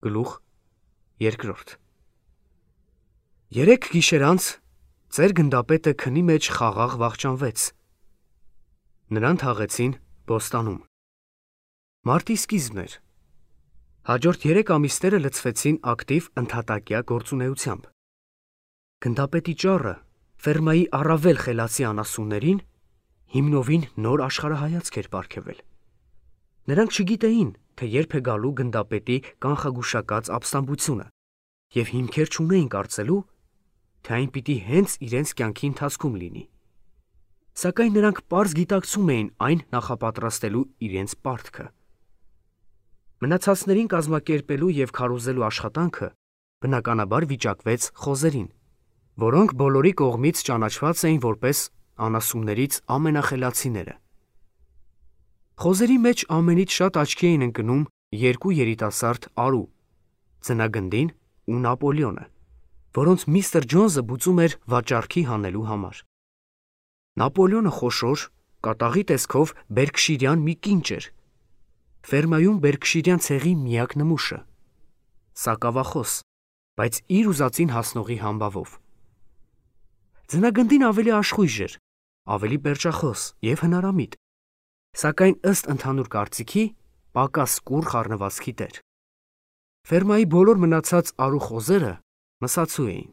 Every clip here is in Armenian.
Գլուխ 2 Երեք գիշեր անց ծեր գնդապետը քնի մեջ խաղաղ վախճանվեց. նրան թաղեցին բոստանում։ Մարտի սկիզբն էր։ Հաջորդ 3 ամիսները լցվեցին ակտիվ ընդհատակյա գործունեությամբ։ Գնդապետի ճառը ֆերմայի առավել խելացի անասուններին հիմնովին նոր աշխարհայացք էր պարգևել։ Նրանք չգիտեին, թե երբ է գալու գնդապետի կանխագուշակած ապստամբությունը, և հիմքեր չունեին կարծելու, թե այն պիտի հենց իրենց կյանքի ընթացքում լինի։ Սակայն նրանք պարզ գիտակցում էին այն նախապատրաստելու իրենց պարտքը։ Մնացածներին կազմակերպելու և քարոզելու աշխատանքը բնականաբար վիճակվեց խոզերին, որոնք բոլորի կողմից ճանաչված էին որպես անասուններից ամենախելացիները։ Խոզերի մեջ ամենից շատ աչքի էին ընկնում 2 երիտասարդ արու՝ ձնագնդին ու Նապոլեոնը, որոնց միստր Ջոնսը բուծում էր վաճառքի հանելու համար։ Նապոլեոնը խոշոր, կատաղի տեսքով բերքշիրյան մի կինչ էր, ֆերմայում բերքշիրյան ցեղի միակ նմուշը, սակավախոս, բայց իր ուզածին հասնողի համբավով։ Ձնագնդին ավելի աշխույժ էր, ավելի պերճախոս և հնարամիտ, սակայն ըստ ընդհանուր կարծիքի պակաս կուռ խառնվածքի տեր։ Ֆերմայի բոլոր մնացած արու խոզերը մսացու էին։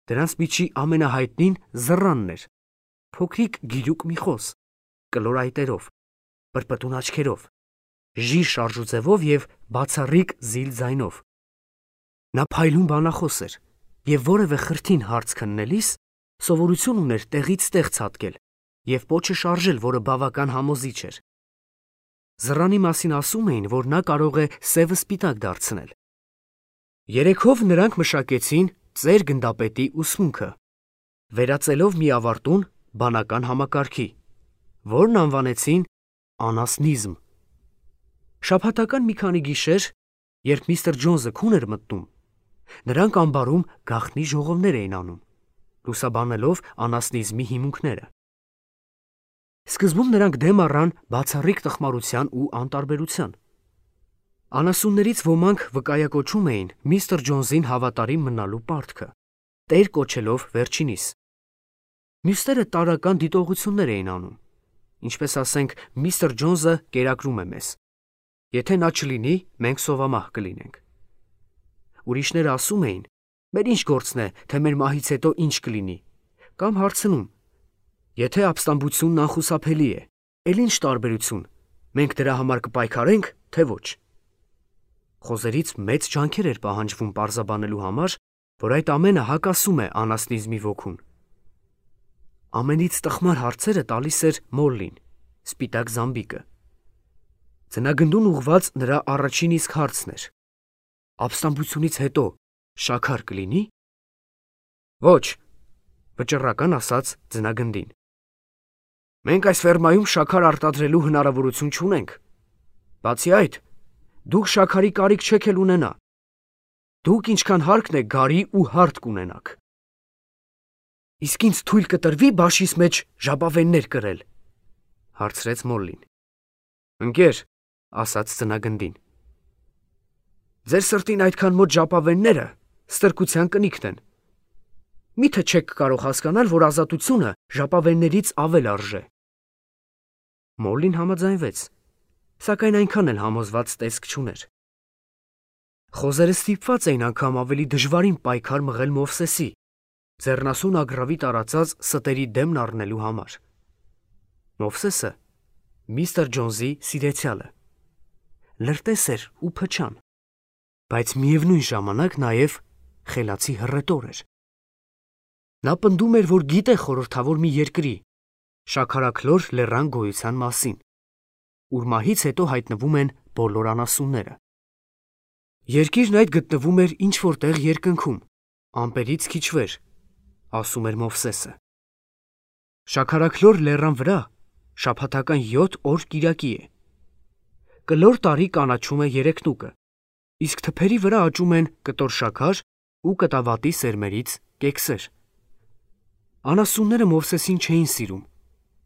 Դրանց միջի ամենահայտնին Զռանն էր, փոքրիկ գիրուկ մի խոզ, կլոր այտերով, պրպտուն աչքերով, ժիր շարժուձևով և բացառիկ զիլ ձայնով։ Նա փայլուն բանախոս էր և որևէ խրթին հարց քննելիս սովորություն ուներ տեղից տեղ ցատկել և պոչը շարժել, որը բավական համոզիչ էր։ Զռանի մասին ասում էին, որ նա կարող է սևը սպիտակ դարձնել։ Երեքով նրանք մշակեցին ծեր գնդապետի ուսմունքը, վերածելով միավարտուն բանական համակարգի, որն անվանեցին անասնիզմ։ Շաբաթական մի քանի գիշեր, երբ միստր Ջոնսը քուն էր մտնում, նրանք ամբարում գաղտնի ժողովներ էին անում, լուսաբանելով անասնիզմի հիմունքները։ Սկզբում նրանք դեմ առան բացառիկ տխմարության ու անտարբերության։ Անասուններից ոմանք վկայակոչում էին միստր Ջոնսին հավատարիմ մնալու պարտքը, տեր կոչելով վերջինիս։ Մյուսները տարրական դիտողություններ էին անում, ինչպես ասենք միստր Ջոնսը կերակրում է մեզ։ Եթե նա չլինի, մենք սովամահ կլինենք։ Ուրիշները ասում էին, մեր ինչ գործն է, թե մեր մահից հետո ինչ կլինի, կամ հարցնում, եթե ապստամբությունն անխուսափելի է, էլ ինչ տարբերություն, մենք դրա համար կպայքարենք, թե ոչ։ Խոզերից մեծ ջանքեր էր պահանջվում պարզաբանելու համար, որ այդ ամենը հակասում է անասնիզմի ոգուն։ Ամենից տխմար հարցերը տալիս էր Մոլլին, սպիտակ զամբիկը։ Ձնագնդուն ուղղված նրա առաջին իսկ հարցն էր. ապստամբությունից հետո շաքար կլինի։ Ոչ, վճռական ասաց ձնագնդին։ Մենք այս ֆերմայում շաքար արտադրելու հնարավորություն չունենք։ Բացի այդ, դուք շաքարի կարիք չեք էլ ունենա։ Դուք ինչքան հարկն է գարի ու հարթ կունենաք։ Իսկ ինձ թույլ կտրվի բաշիս մեջ ժապավեններ կրել, հարցրեց Մոլլին։ Ընկեր, ասաց ձնագնդին, ձեր սրտին այդքան մոտ ժապավենները ստրկության կնիքն են։ Միթե չեք կարող հասկանալ, որ ազատությունը ժապավեններից ավել արժե։ Մոլլին համաձայնվեց, սակայն այնքան էլ համոզված տեսք չուներ։ Խոզերը ստիպված էին անգամ ավելի դժվարին պայքար մղել Մովսեսի, ձեռնասուն ագռավի տարածած ստերի դեմն առնելու համար։ Մովսեսը միստր Ջոնսի սիրեցյալը, լրտես էր ու փչան, բայց միևնույն ժամանակ նաև խելացի հռետոր էր։ Նա պնդում էր, որ գիտե խորհրդավոր մի երկրի, շաքարաքլոր լեռան գոյության մասին, ուր մահից հետո հայտնվում են բոլոր անասունները։ Երկիրն այդ գտնվում էր ինչ-որ տեղ երկնքում, ամպերից քիչ վեր, ասում էր Մովսեսը։ Շաքարաքլոր լեռան վրա շաբաթական 7 օր կիրակի է։ Կլոր տարի կանաչում է երեքնուկը, իսկ թփերի վրա աճում են կտոր շաքար ու կտավատի սերմերից կեքսեր։ Անասունները Մովսեսին չէին սիրում,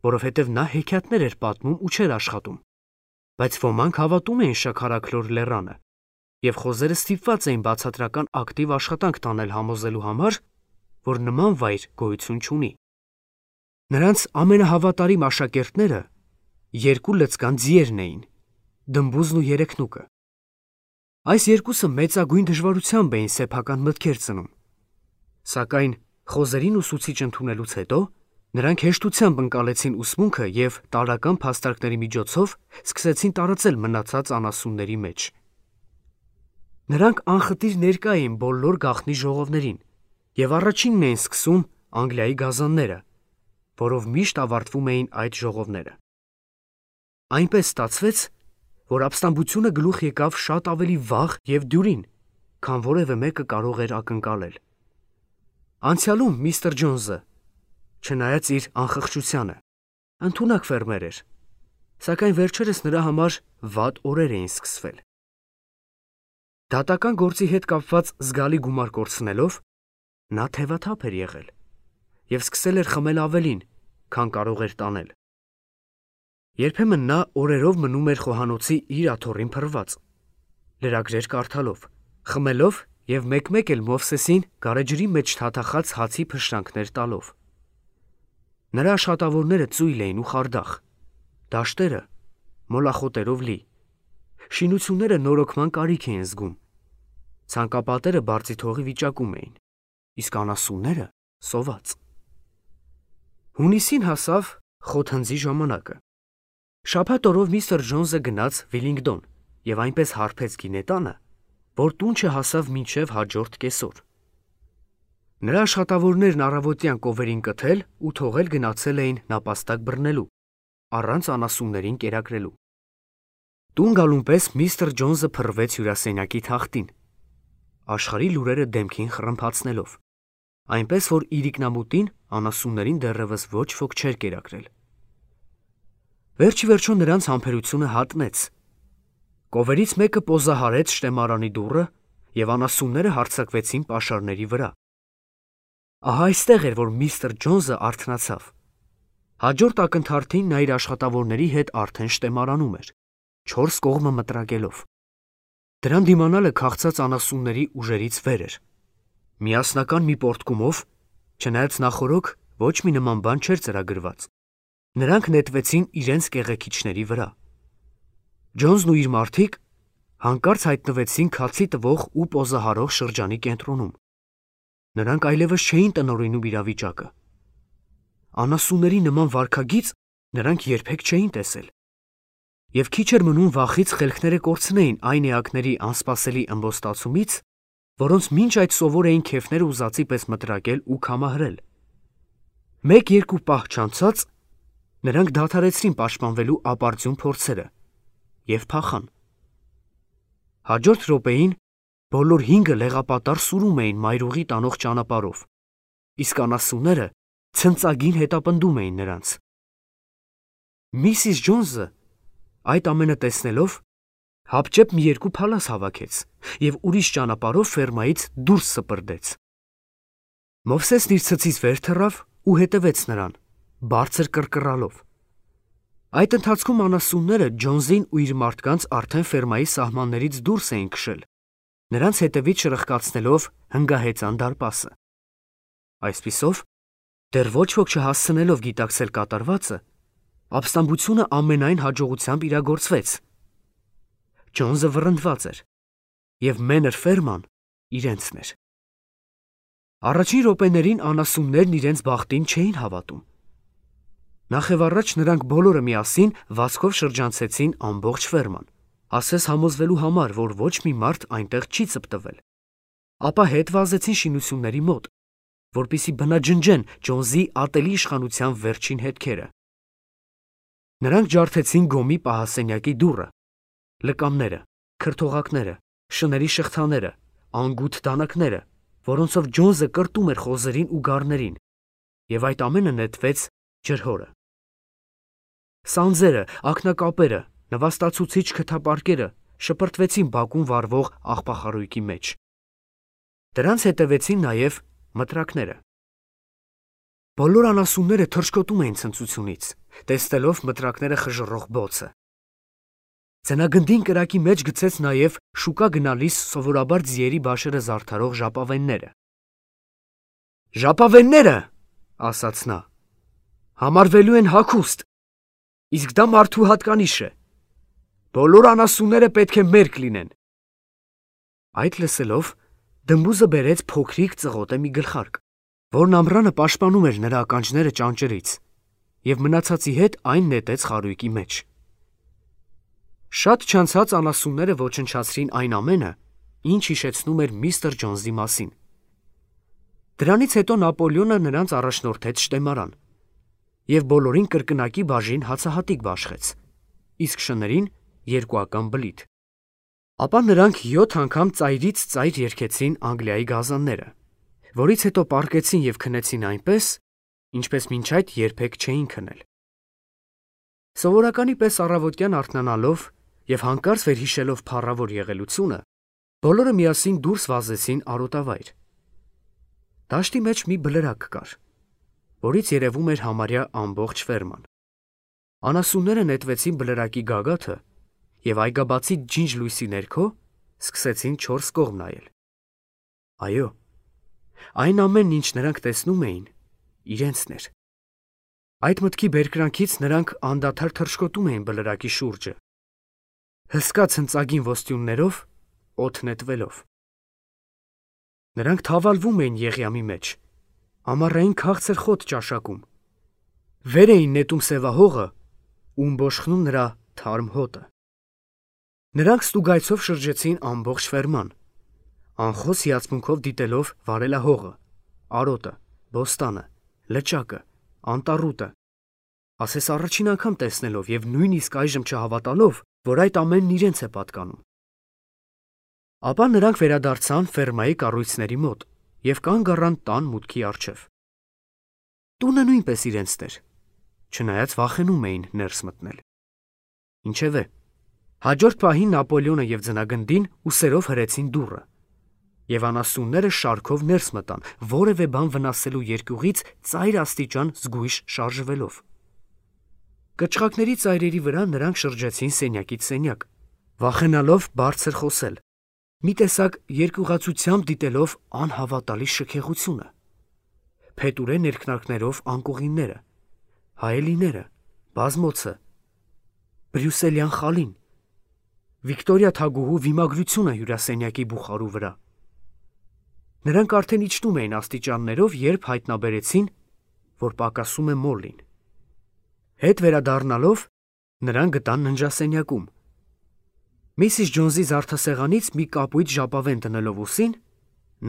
որովհետև նա հեքիաթներ էր պատմում ու չէր աշխատում, բայց ոմանք հավատում էին շաքարաքլոր լեռանը, եւ խոզերը ստիպված էին բացատրական ակտիվ աշխատանք տանել համոզելու համար, որ նման վայր գոյություն չունի։ Նրանց ամենահավատարիմ աշակերտները երկու լծկան ձիերն էին՝ Դմբուզն ու Երեքնուկը։ Այս երկուսը մեծագույն դժվարությամբ էին սեփական մտքեր ծնում, սակայն խոզերին ուսուցիչ ընդունելուց հետո նրանք հեշտությամբ ընկալեցին ուսմունքը եւ տարրական փաստարկների միջոցով սկսեցին տարածել մնացած անասունների մեջ։ Նրանք անխտիր ներկա էին բոլոր գաղտնի ժողովներին եւ առաջինն էին սկսում Անգլիայի գազանները, որով միշտ ավարտվում էին այդ ժողովները։ Այնպես ստացվեց, որ ապստամբությունը գլուխ եկավ շատ ավելի վաղ եւ դյուրին, քան որևէ մեկը կարող էր ակնկալել։ Անցյալում միստր Ջոնսը, չնայած իր անխղճությանը, ընդունակ ֆերմեր էր, սակայն վերջերս նրա համար վատ օրեր էին սկսվել։ Դատական գործի հետ կապված զգալի գումար կորցնելով, նա թևաթափ էր եղել եւ սկսել էր խմել ավելին, քան կարող էր տանել։ Երբեմն նա օրերով մնում էր խոհանոցի իր աթոռին փռված, լրագրեր կարդալով, խմելով եւ մեկ-մեկ էլ Մովսեսին գարեջրի մեջ թաթախած հացի փշրանքներ տալով։ Նրա աշխատավորները ծույլ էին ու խարդախ, դաշտերը մոլախոտերով լի, շինությունները նորոգման կարիք էին զգում, ցանկապատերը բարձի թողի վիճակում էին, իսկ անասունները սոված։ Հունիսին հասավ խոթհնձի ժամանակը։ Շաբաթ օրով միստր Ջոնսը գնաց Վիլինգդոն եւ այնպես հարբեց գինետանը, որ տուն չհասավ մինչև հաջորդ կեսօր։ Նրա աշխատավորներն առավոտյան կովերին կթել ու թողել գնացել էին նապաստակ բռնելու, առանց անասուններին կերակրելու։ Տուն գալուն պես միստր Ջոնսը փռվեց հյուրասենյակի թախտին, աշխարհի լուրերը դեմքին խռմփացնելով, այնպես որ իրիկնամուտին անասուններին դեռևս ոչ ոք չէր կերակրել։ Վերջի վերջո նրանց համբերությունը հատնեց։ Կովերից մեկը պոզահարեց շտեմարանի դուռը եւ անասունները հարձակվեցին պաշարների վրա։ Ահա այստեղ էր, որ միստր Ջոնսը արթնացավ։ Հաջորդ ակնթարթին նա իր աշխատավորների հետ արդեն շտեմարանում էր, 4 կողմը մտրակելով։ Դրան դիմանալը քաղցած անասունների ուժերից վեր էր։ Միասնական մի պոռթկումով, չնայած նախօրոք ոչ մի նման բան չէր ծրագրված, նրանք նետվեցին իրենց կեղեքիչների վրա։ Ջոնսն ու իր մարդիկ հանկարծ հայտնվեցին քացի տվող ու պոզահարող շրջանի կենտրոնում։ Նրանք այլևս չէին տնօրինում իրավիճակը։ Անասունների նման վարքագիծ նրանք երբեք չէին տեսել։ Եվ քիչ էր մնում վախից խելքները կորցնեին այն էակների անսպասելի ըմբոստացումից, որոնց մինչ այդ սովոր էին քեֆները ուզածի պես մտրակել ու քամահրել։ Մեկ-երկու պահ չանցած նրանք դադարեցրին պաշտպանվելու ապարդյուն փորձերը եւ փախան։ Հաջորդ րոպեին բոլոր 5-ը լեղապատար սուրում էին մայրուղի տանող ճանապարհով, իսկ անասունները ցնծագին հետապնդում էին նրանց։ Միսիս Ջոնսը այդ ամենը տեսնելով հապճեպ մի երկու փալաս հավաքեց եւ ուրիշ ճանապարհով ֆերմայից դուրս սպրդեց։ Մովսեսն իր ցցից վեր թռավ ու հետևեց նրան, բարձր կռկռալով։ Այդ ընթացքում անասունները Ջոնսին ու իր մարդկանց արդեն ֆերմայի սահմաններից դուրս էին քշել, նրանց հետևից շրխկացնելով հնգահեծան դարպասը։ Այսպիսով, դեռ ոչ ոք չհասցնելով գիտակցել կատարվածը, ապստամբությունը ամենայն հաջողությամբ իրագործվեց։ Ջոնսը վռնդված էր, եւ մենր ֆերման իրենցն էր։ Առաջին րոպեներին անասուններն իրենց բախտին չէին հավատում։ Նախևառաջ նրանք բոլորը միասին վազքով շրջանցեցին ամբողջ ֆերման, ասես համոզվելու համար, որ ոչ մի մարդ այնտեղ չի ծպտվել։ Ապա հետ վազեցին շինությունների մոտ, որպեսզի բնաջնջեն Ջոնսի ատելի իշխանության վերջին հետքերը։ Նրանք ջարդեցին գոմի պահասենյակի դուռը, լկամները, քրթողակները, շների շղթաները, անգութ դանակները, որոնցով Ջոնսը կրտում էր խոզերին ու գառներին, եւ այդ ամենը նետվեց ջրհորը։ Սանձերը, ակնակապերը, նվաստացուցիչ քթապարկերը շպրտվեցին բակում վառվող աղբախարույկի մեջ։ Դրանց հետևեցին նաև մտրակները։ Բոլոր անասունները թռչկոտում էին ցնծությունից, տեսնելով մտրակները խժռող բոցը։ Ձնագնդին կրակի մեջ գցեց նաև շուկա գնալիս սովորաբար ձիերի բաշերը զարդարող ժապավենները։ «Ժապավենները, ասաց նա, համարվելու են հագուստ, իսկ դա մարդու հատկանիշ է։ Բոլոր անասունները պետք է մերկ լինեն»։ Այդ լսելով դմբուզը բերեց փոքրիկ ծղոտե մի գլխարկ, որն ամռանը պաշտպանում էր նրա ականջները ճանճերից, և մնացածի հետ այն նետեց խարույկի մեջ։ Շատ չանցած անասունները ոչնչացրին այն ամենը, ինչ հիշեցնում էր միստր Ջոնսի մասին։ Դրանից հետո Նապոլեոնը նրանց առաջնորդեց շտեմարան և բոլորին կրկնակի բաժին հացահատիկ բաշխեց, իսկ շներին երկուական բլիթ։ Ապա նրանք 7 անգամ ծայրից ծայր երգեցին Անգլիայի գազանները, որից հետո պառկեցին և քնեցին այնպես, ինչպես մինչ այդ երբեք չէին քնել։ Սովորականի պես առավոտյան արթնանալով և հանկարծ վերհիշելով փառավոր եղելությունը, բոլորը միասին դուրս վազեցին արոտավայր։ Դաշտի մեջ մի բլրակ կար, որից երևում էր համարյա ամբողջ ֆերման։ Անասունները նետվեցին բլրակի գագաթը և այգաբացի ջինջ լույսի ներքո սկսեցին 4 կողմ նայել։ Այո, այն ամենն, ինչ նրանք տեսնում էին, իրենցն էր։ Այդ մտքի բերկրանքից նրանք անդադար թռչկոտում էին բլրակի շուրջը, հսկա ցնծագին ոստյուններով օդ նետվելով։ Նրանք թավալվում էին եղյամի մեջ, ամառային քաղցր խոտ ճաշակում, վեր էին նետում սևահողը ու ըմբոշխնում նրա թարմ հոտը։ Նրանք ստուգայցով շրջեցին ամբողջ ֆերման, անխոս հիացմունքով դիտելով վարելահողը, արոտը, բոստանը, լճակը, անտառուտը, ասես առաջին անգամ տեսնելով և նույնիսկ այժմ չհավատալով, որ այդ ամենն իրենց է պատկանում։ Ապա նրանք վերադարձան ֆերմայի կառույցների մոտ և կանգ առան տան մուտքի առջև։ Տունը նույնպես իրենցն էր, չնայած վախենում էին ներս մտնել։ Ինչևէ, հաջորդ պահին Նապոլեոնը և ձնագնդին ուսերով հրեցին դուռը, և անասունները շարքով ներս մտան, որևէ բան վնասելու երկյուղից ծայր աստիճան զգույշ շարժվելով։ Կչղակների ծայրերի վրա նրանք շրջեցին սենյակից սենյակ, վախենալով բարձր խոսել, մի տեսակ երկյուղացությամբ դիտելով անհավատալի շքեղությունը, փետուրե ներքնարկներով անկողինները, հայելիները, բազմոցը, բրյուսելյան խալին, Վիկտորիա թագուհու վիմագրությունը հյուրասենյակի բուխարու վրա։ Նրանք արդեն իջնում էին աստիճաններով, երբ հայտնաբերեցին, որ պակասում է Մոլլին։ Հետ վերադառնալով նրանք գտան ննջասենյակում։ Միսիս Ջոնսի զարդասեղանից մի կապույտ ժապավեն դնելով ուսին,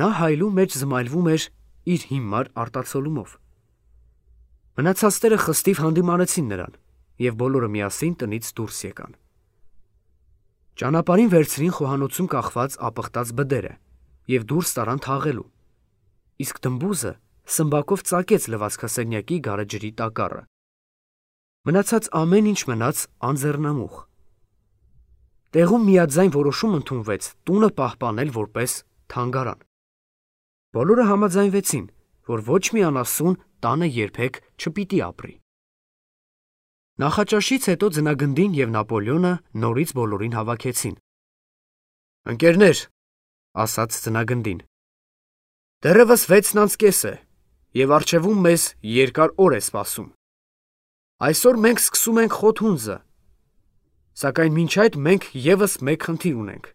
նա հայելու մեջ զմայլվում էր իր հիմար արտացոլումով։ Մնացածները խստիվ հանդիմանեցին նրան, և բոլորը միասին տնից դուրս եկան։ Ճանապարհին վերցրին խոհանոցում կախված ապխտած բդերը և դուրս տարան թաղելու, իսկ դմբուզը սմբակով ծակեց լվացքասենյակի գարեջրի տակառը։ Մնացած ամեն ինչ մնաց անձեռնամուխ։ Տեղում միաձայն որոշում ընդունվեց տունը պահպանել որպես թանգարան։ Բոլորը համաձայնվեցին, որ ոչ մի անասուն տանը երբեք չպիտի ապրի։ Նախաճաշից հետո ձնագնդին և Նապոլեոնը նորից բոլորին հավաքեցին։ «Ընկերներ», ասաց ձնագնդին, «դեռևս 6:30 է, և առջևում մեզ երկար օր է սպասում։ Այսօր մենք սկսում ենք խոթհունձը, սակայն մինչ այդ մենք ևս մեկ խնդիր ունենք»։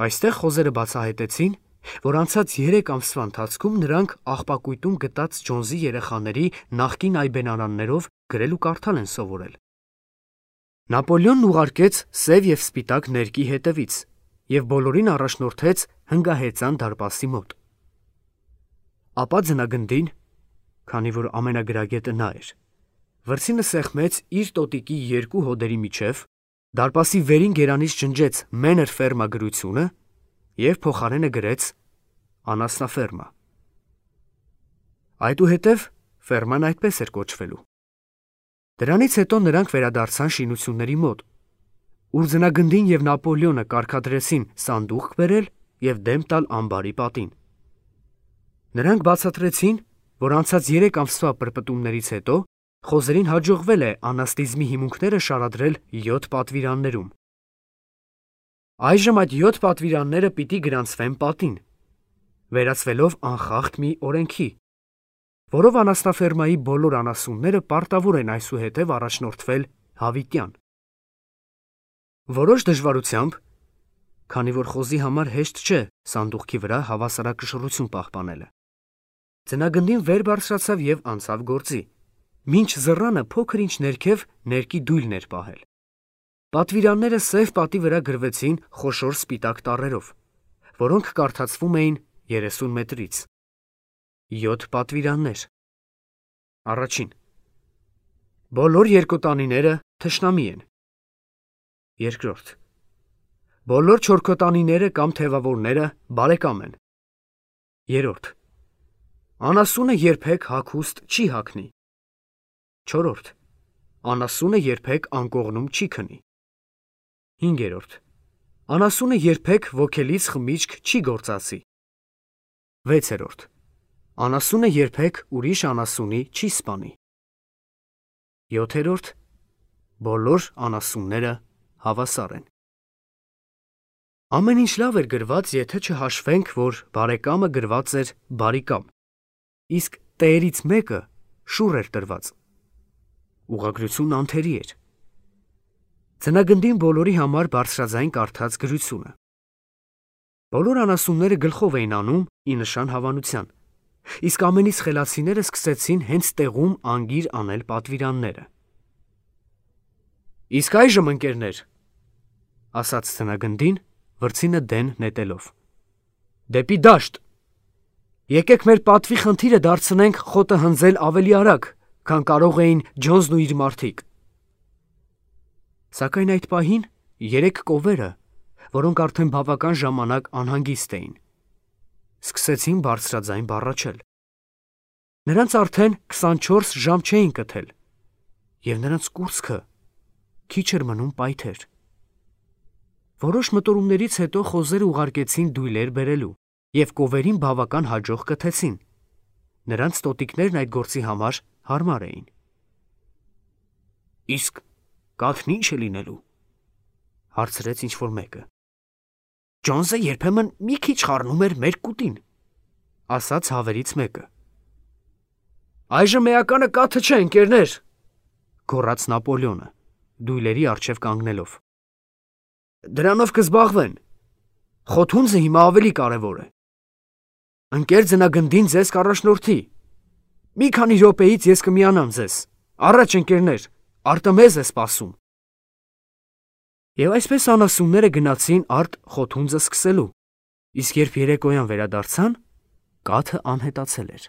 Այստեղ խոզերը բացահայտեցին, որ անցած 3 ամսվա ընթացքում նրանք աղբակույտում գտած Ջոնսի երեխաների նախկին այբենարաններով գրել ու կարդալ են սովորել։ Նապոլեոնն ուղարկեց սև և սպիտակ ներկի հետևից և բոլորին առաջնորդեց հնգահեծան դարպասի մոտ։ Ապա ձնագնդին, քանի որ ամենագրագետը նա էր, վրձինը սեղմեց իր տոտիկի 2 հոդերի միջև, դարպասի վերին գերանից ջնջեց «Մենր ֆերմա» գրությունը և փոխարենը գրեց «Անասնաֆերմա»։ Այդուհետև ֆերման այդպես էր կոչվելու։ Դրանից հետո նրանք վերադարձան շինությունների մոտ, ուր ձնագնդին և Նապոլեոնը կարգադրեցին սանդուղք բերել և դեմ տալ ամբարի պատին։ Նրանք բացատրեցին, որ անցած 3 ամսվա պրպտումներից հետո Խոզերին հաջողվել է անաստիզմի հիմունքները շարադրել 7 պատվիրաններում։ Այժմ այդ 7 պատվիրանները պիտի գրանցվեն պատին, վերածվելով անխախտ մի օրենքի, որով անասնաֆերմայի բոլոր անասունները պարտավոր են այսուհետև առաջնորդվել հավիտյան։ Որոշ դժվարությամբ, քանի որ խոզի համար հեշտ չէ սանդուղքի վրա հավասարակշռություն պահպանելը, ձնագնդին վեր բարձրացավ և անցավ գործի, մինչ զռանը փոքր-ինչ ներքև ներկի դույլներ պահել։ Պատվիրանները սև պատի վրա գրվեցին խոշոր սպիտակ տառերով, որոնք կարդացվում էին 30 մետրից։ 7 պատվիրաններ։ Առաջին. բոլոր երկոտանիները թշնամի են։ Երկրորդ. բոլոր չորքոտանիները կամ թևավորները բարեկամ են։ Երրորդ. անասունը երբեք հագուստ չի հագնի։ Չորրորդ. անասունը երբեք անկողնում չի քնի։ Հինգերորդ. անասունը երբեք ոգելից խմիչք չի գործածի։ Վեցերորդ. անասունը երբեք ուրիշ անասունի չի սպանի։ Յոթերորդ. բոլոր անասունները հավասար են։ Ամեն ինչ լավ էր գրված, եթե չհաշվենք, որ բարեկամը գրված էր բարիկամ, իսկ տերից մեկը շուռ էր տրված։ Ուղղագրությունն անթերի էր։ Ձնագնդին բոլորի համար բարձրաձայն կարդաց գրությունը։ Բոլոր անասունները գլխով էին անում ի նշան հավանության, իսկ ամենից խելացիները սկսեցին հենց տեղում անգիր անել պատվիրանները։ Իսկ այժմ, ընկերներ, ասաց ձնագնդին, վրձինը դեն նետելով, դեպի դաշտ։ Եկեք մեր պատվի խնդիրը դարձնենք խոտը հնձել ավելի արագ, քան կարող էին Ջոնսն ու իր մարդիկ։ Սակայն այդ պահին 3 կովերը, որոնք արդեն բավական ժամանակ անհանգիստ էին, սկսեցին բարձրաձայն բառաչել։ Նրանց արդեն 24 ժամ չէին կթել, և նրանց կուրծքը քիչ էր մնում պայթեր։ Որոշ մտորումներից հետո խոզերը ուղարկեցին դույլեր բերելու և կովերին բավական հաջող կթեցին։ Նրանց տոտիկներն այդ գործի համար հարմար էին։ Իսկ կաթն ինչ է լինելու, հարցրեց ինչ-որ մեկը։ Ջոնսը երբեմն մի քիչ խառնում էր մեր կուտին, ասաց հավերից մեկը։ Այժմ էականը կաթը չէ, ընկերներ, գոռաց Նապոլեոնը, դույլերի առջև կանգնելով։ Դրանով կզբաղվեն։ Խոթունձը հիմա ավելի կարևոր է։ Ընկեր ձնագնդին ձեզ կառաջնորդի։ Մի քանի րոպեից ես կմիանամ ձեզ։ Առաջ, ընկերներ, Արտեմեզ է սպասում։ Եվ այսպես անասունները գնացին արդ խոթունձը սկսելու, իսկ երբ երեկոյան վերադարձան, կաթը անհետացել էր։